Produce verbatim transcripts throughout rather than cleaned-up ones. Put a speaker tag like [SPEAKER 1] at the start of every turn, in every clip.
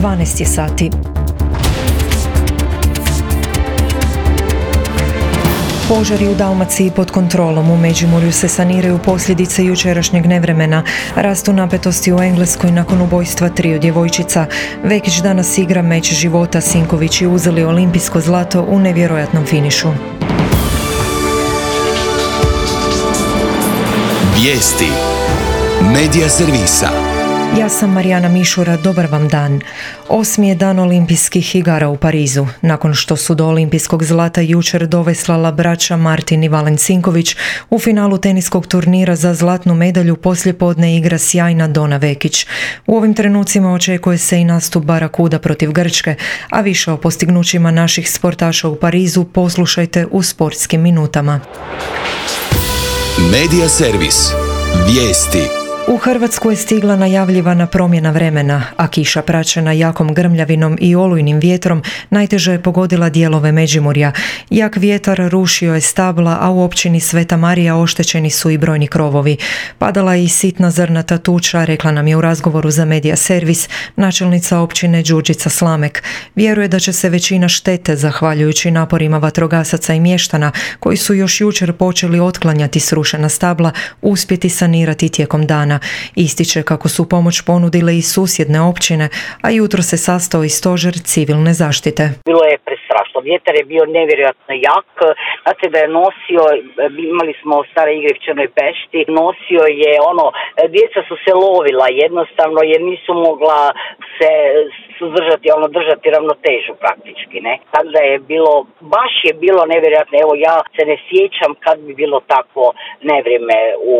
[SPEAKER 1] dvanaest je sati. Požari u Dalmaciji pod kontrolom. U Međimurju se saniraju posljedice jučerašnjeg nevremena. Rastu napetosti u Engleskoj nakon ubojstva triju djevojčica. Vekić danas igra meč života. Sinkovići uzeli olimpijsko zlato u nevjerojatnom finišu.
[SPEAKER 2] Vijesti Medija servisa.
[SPEAKER 1] Ja sam Marijana Mišura, dobar vam dan. Osmi je dan olimpijskih igara u Parizu. Nakon što su do olimpijskog zlata jučer doveslala braća Martin i Valen Sinković, u finalu teniskog turnira za zlatnu medalju poslijepodne igra sjajna Dona Vekić. U ovim trenucima očekuje se i nastup Barakuda protiv Grčke, a više o postignućima naših sportaša u Parizu poslušajte u sportskim minutama.
[SPEAKER 2] Medija servis. Vijesti.
[SPEAKER 1] U Hrvatsku je stigla najavljivana promjena vremena, a kiša praćena jakom grmljavinom i olujnim vjetrom najteže je pogodila dijelove Međimurja. Jak vjetar rušio je stabla, a u općini Sveta Marija oštećeni su i brojni krovovi. Padala je i sitna zrnata tuča, rekla nam je u razgovoru za Medija servis načelnica općine Đurđica Slamek. Vjeruje da će se većina štete, zahvaljujući naporima vatrogasaca i mještana, koji su još jučer počeli otklanjati srušena stabla, uspjeti sanirati tijekom dana. Ističe kako su pomoć ponudile i susjedne općine, a jutro se sastao i stožer civilne zaštite.
[SPEAKER 3] Bilo je prestrašno, vjetar je bio nevjerojatno jak, znate da je nosio, imali smo stare igre u Črnoj Pešti, nosio je ono, djeca su se lovila jednostavno jer nisu mogla se suzdržati, ono držati ravnotežu praktički, ne. Tako da je bilo, baš je bilo nevjerojatno, evo ja se ne sjećam kad bi bilo takvo nevrijeme u,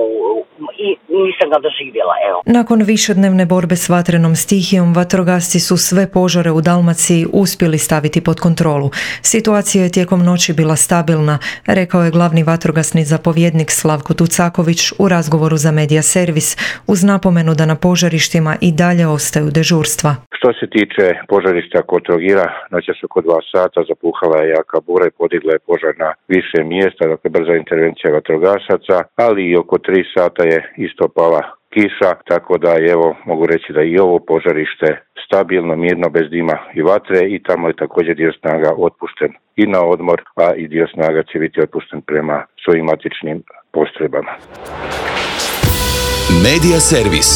[SPEAKER 3] i nisam ga doživjela, evo.
[SPEAKER 1] Nakon višednevne borbe s vatrenom stihijom, vatrogasci su sve požare u Dalmaciji uspjeli staviti pod kontrolu. Situacija je tijekom noći bila stabilna, rekao je glavni vatrogasni zapovjednik Slavko Tucaković u razgovoru za Medija servis, uz napomenu da na požarištima i dalje ostaju dežurstva.
[SPEAKER 4] Što se tiče požarišta kod Trogira, noćas oko dva sata zapuhala je jaka bura i podigla je požar na više mjesta, dakle brza intervencija vatrogasaca, ali i oko tri sata je isto pala kiša, tako da evo mogu reći da i ovo požarište stabilno, mirno, bez dima i vatre i tamo je također dio snaga otpušten i na odmor, a i dio snaga će biti otpušten prema svojim matičnim postrojbama.
[SPEAKER 2] Medija servis.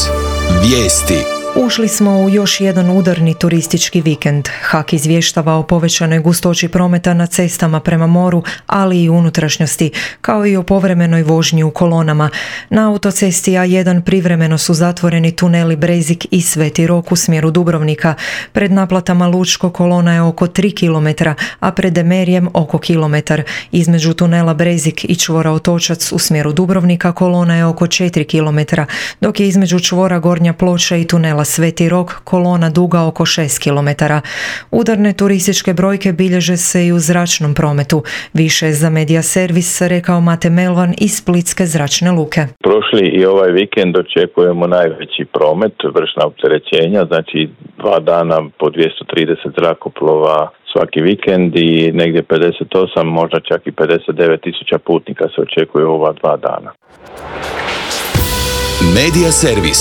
[SPEAKER 2] Vijesti.
[SPEAKER 1] Ušli smo u još jedan udarni turistički vikend. H A K izvještava o povećanoj gustoći prometa na cestama prema moru, ali i unutrašnjosti, kao i o povremenoj vožnji u kolonama. Na autocesti A jedan privremeno su zatvoreni tuneli Brezik i Sveti Rok u smjeru Dubrovnika. Pred naplatama Lučko kolona je oko tri kilometra, a pred Demerijem oko kilometar. Između tunela Brezik i čvora Otočac u smjeru Dubrovnika kolona je oko četiri kilometra, dok je između čvora Gornja Ploča i tunela Sveti Rok kolona duga oko šest kilometara. Udarne turističke brojke bilježe se i u zračnom prometu. Više za Medija servis rekao Mate Melvan iz Splitske zračne luke.
[SPEAKER 5] Prošli i ovaj vikend očekujemo najveći promet, vršna opterećenja, znači dva dana po dvjesto trideset zrakoplova svaki vikend i negdje pedeset osam, možda čak i pedeset devet tisuća putnika se očekuje u ova dva dana.
[SPEAKER 2] Medija servis.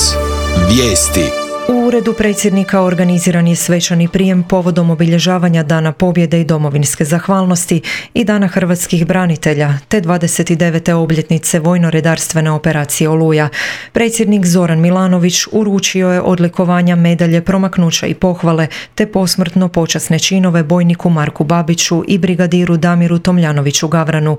[SPEAKER 2] Vijesti.
[SPEAKER 1] U uredu predsjednika organiziran je svečani prijem povodom obilježavanja Dana pobjede i domovinske zahvalnosti i Dana hrvatskih branitelja, te dvadeset devete obljetnice vojno-redarstvene operacije Oluja. Predsjednik Zoran Milanović uručio je odlikovanja, medalje, promaknuća i pohvale, te posmrtno počasne činove bojniku Marku Babiću i brigadiru Damiru Tomljanoviću Gavranu.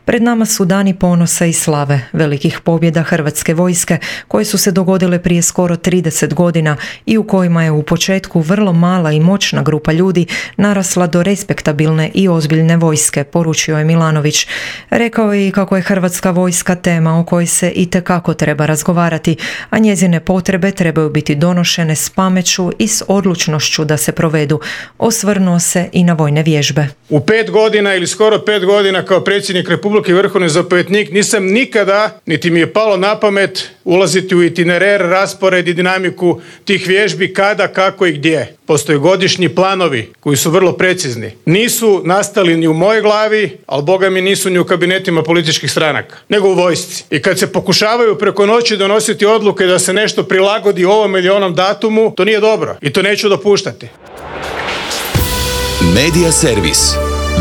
[SPEAKER 1] Pred nama su dani ponosa i slave, velikih pobjeda hrvatske vojske, koje su se dogodile prije skoro trideset godina i u kojima je u početku vrlo mala i moćna grupa ljudi narasla do respektabilne i ozbiljne vojske, poručio je Milanović. Rekao je i kako je hrvatska vojska tema o kojoj se itekako treba razgovarati, a njezine potrebe trebaju biti donošene s pameću i s odlučnošću da se provedu. Osvrnuo se i na vojne vježbe.
[SPEAKER 6] U pet godina ili skoro pet godina kao predsjednik Republike i vrhovni zapovjednik nisam nikada, niti mi je palo na pamet ulaziti u itinerar, raspored i dinamiku tih tih vježbi kada, kako i gdje. Postoje godišnji planovi koji su vrlo precizni. Nisu nastali ni u mojoj glavi, ali boga mi nisu ni u kabinetima političkih stranaka, nego u vojsci. I kad se pokušavaju preko noći donositi odluke da se nešto prilagodi ovom ili onom datumu, to nije dobro i to neću dopuštati.
[SPEAKER 2] Medija servis.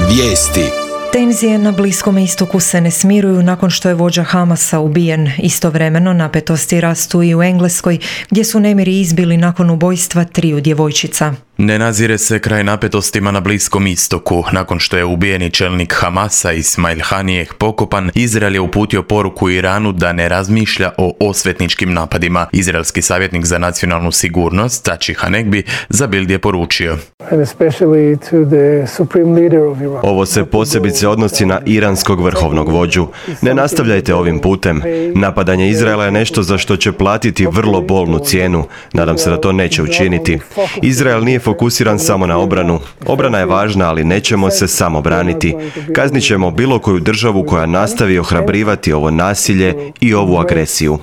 [SPEAKER 2] Vijesti.
[SPEAKER 1] Tenzije na Bliskom istoku se ne smiruju nakon što je vođa Hamasa ubijen. Istovremeno napetosti rastu i u Engleskoj, gdje su nemiri izbili nakon ubojstva triju djevojčica.
[SPEAKER 7] Ne nazire se kraj napetostima na Bliskom istoku. Nakon što je ubijeni čelnik Hamasa Ismail Haniyeh pokopan, Izrael je uputio poruku Iranu da ne razmišlja o osvetničkim napadima. Izraelski savjetnik za nacionalnu sigurnost, Tači Hanegbi, za Bild je poručio:
[SPEAKER 8] Ovo se posebice odnosi na iranskog vrhovnog vođu. Ne nastavljajte ovim putem. Napadanje Izraela je nešto za što će platiti vrlo bolnu cijenu. Nadam se da to neće učiniti. Izrael nije fokusiran samo na obranu. Obrana je važna, ali nećemo se samo braniti. Kaznit ćemo bilo koju državu koja nastavi ohrabrivati ovo nasilje i ovu agresiju.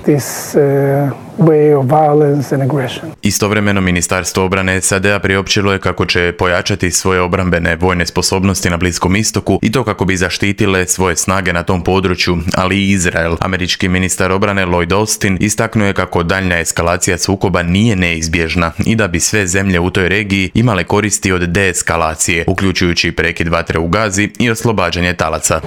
[SPEAKER 7] Istovremeno Ministarstvo obrane S A D-a priopćilo je kako će pojačati svoje obrambene vojne sposobnosti na Bliskom istoku i to kako bi zaštitile svoje snage na tom području, ali i Izrael. Američki ministar obrane Lloyd Austin istaknuo je kako daljnja eskalacija sukoba nije neizbježna i da bi sve zemlje u toj regiji imale koristi od deeskalacije, uključujući prekid vatre u Gazi i oslobađanje talaca.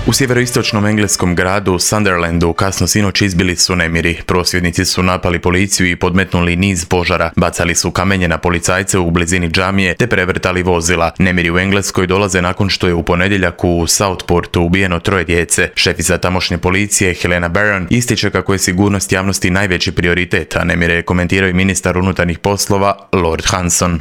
[SPEAKER 7] U sjeveroistočnom engleskom gradu Sunderlandu kasno sinoć izbili su nemiri. Prosvjednici su napali policiju i podmetnuli niz požara, bacali su kamenje na policajce u blizini džamije te prevrtali vozila. Nemiri u Engleskoj dolaze nakon što je u ponedjeljak u Southportu ubijeno troje djece. Šefica tamošnje policije Helena Barron ističe kako je sigurnost javnosti najveći prioritet, a nemire komentirao i ministar unutarnjih poslova Lord Hanson.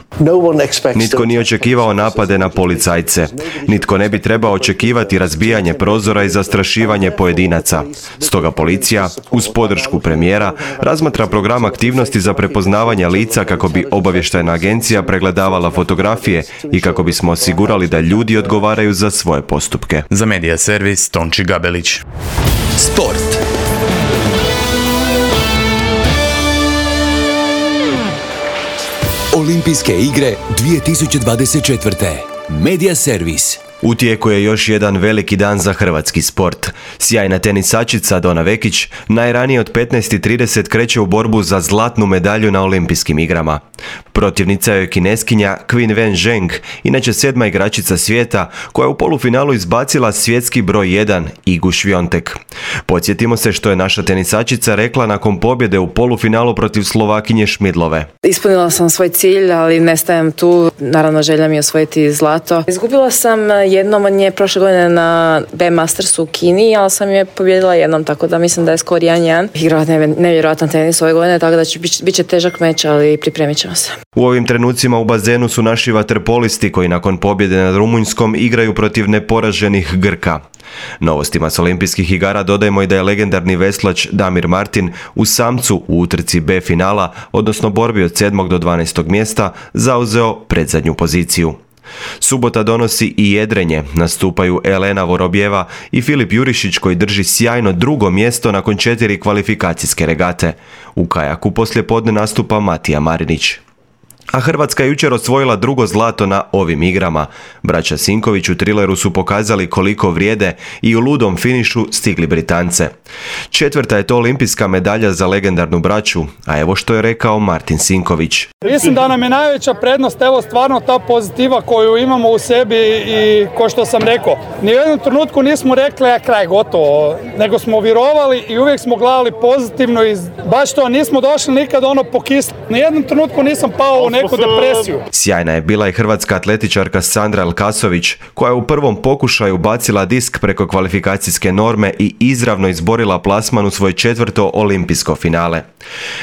[SPEAKER 8] Nitko nije očekivao napade na policajce. Nitko ne bi trebao očekivati razbijanje prozora i zastrašivanje pojedinaca. Stoga policija, uz podršku premijera, razmatra program aktivnosti za prepoznavanje lica kako bi obavještajna agencija pregledavala fotografije i kako bismo osigurali da ljudi odgovaraju za svoje postupke.
[SPEAKER 7] Za Medija servis Tonči Gabelić.
[SPEAKER 2] Sport. Olimpijske igre dvije tisuće dvadeset četvrte. Medija servis.
[SPEAKER 8] U tijeku je još jedan veliki dan za hrvatski sport. Sjajna tenisačica Dona Vekić najranije od petnaest i trideset kreće u borbu za zlatnu medalju na Olimpijskim igrama. Protivnica je Kineskinja Qin Wen Zheng, inače sedma igračica svijeta, koja je u polufinalu izbacila svjetski broj jedan Igu Swiatek. Podsjetimo se što je naša tenisačica rekla nakon pobjede u polufinalu protiv Slovakinje Šmidlove.
[SPEAKER 9] Ispunila sam svoj cilj, ali ne stajem tu. Naravno, želja mi je osvojiti zlato. Izgubila sam jednom od nje prošle godine na B Mastersu u Kini, ali sam je pobjedila jednom, tako da mislim da je skor jedan jedan. Igrala nevjerojatan tenis ove godine, tako da će, bit će težak meč, ali pripremit ćemo se.
[SPEAKER 8] U ovim trenucima u bazenu su naši vaterpolisti koji nakon pobjede nad Rumunjskom igraju protiv neporaženih Grka. Novostima s olimpijskih igara dodajemo i da je legendarni veslač Damir Martin u samcu u utrci B finala, odnosno borbi od sedmog do dvanaestog mjesta, zauzeo predzadnju poziciju. Subota donosi i jedrenje, nastupaju Elena Vorobjeva i Filip Jurišić koji drži sjajno drugo mjesto nakon četiri kvalifikacijske regate. U kajaku poslijepodne nastupa Matija Marinić. A Hrvatska je jučer osvojila drugo zlato na ovim igrama. Braća Sinković u trileru su pokazali koliko vrijede i u ludom finišu stigli Britance. Četvrta je to olimpijska medalja za legendarnu braću, a evo što je rekao Martin Sinković.
[SPEAKER 10] Mislim da nam je najveća prednost, evo stvarno ta pozitiva koju imamo u sebi i ko što sam rekao, ni u jednom trenutku nismo rekli a kraj gotovo, nego smo vjerovali i uvijek smo gledali pozitivno i baš to nismo došli nikad ono po kislu. Ni u jednom trenutku nisam pao u neku depresiju.
[SPEAKER 8] Sjajna je bila i hrvatska atletičarka Sandra Elkasović, koja je u prvom pokušaju bacila disk preko kvalifikacijske norme i izravno izborila plasman u svoje četvrto olimpijsko finale.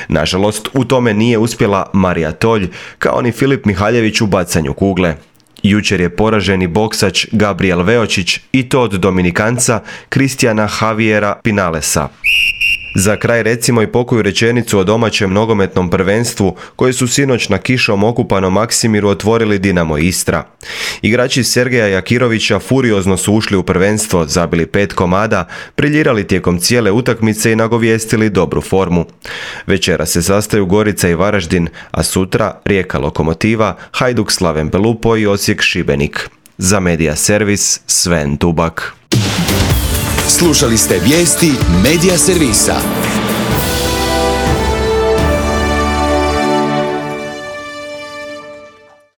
[SPEAKER 8] Nažalost, u tome nije uspjela Marija Tolj, kao ni Filip Mihaljević u bacanju kugle. Jučer je poraženi boksač Gabriel Veočić i to od Dominikanca Kristijana Javiera Pinalesa. Za kraj recimo i pokoju rečenicu o domaćem nogometnom prvenstvu koje su sinoć na kišom okupanom Maksimiru otvorili Dinamo Istra. Igrači Sergeja Jakirovića furiozno su ušli u prvenstvo, zabili pet komada, briljirali tijekom cijele utakmice i nagovijestili dobru formu. Večera se sastaju Gorica i Varaždin, a sutra Rijeka Lokomotiva, Hajduk Slaven Belupo i Osijek Šibenik. Za Media Servis Sven Tubak.
[SPEAKER 2] Slušali ste vijesti Media Servisa.